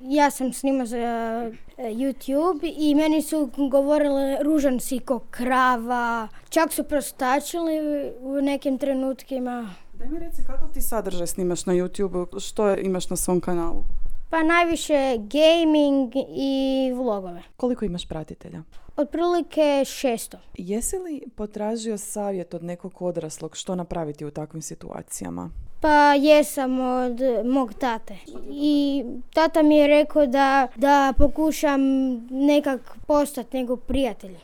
Ja sam snimao za YouTube i meni su govorile ružan si ko krava, čak su prostačili u nekim trenutkima. Daj mi reci kakav ti sadržaj snimaš na YouTube, što imaš na svom kanalu? Pa najviše gaming i vlogove. Koliko imaš pratitelja? Otprilike 600. Jesi li potražio savjet od nekog odraslog što napraviti u takvim situacijama? Pa jesam od mog tate. I tata mi je rekao da pokušam nekak postati njegov prijatelj.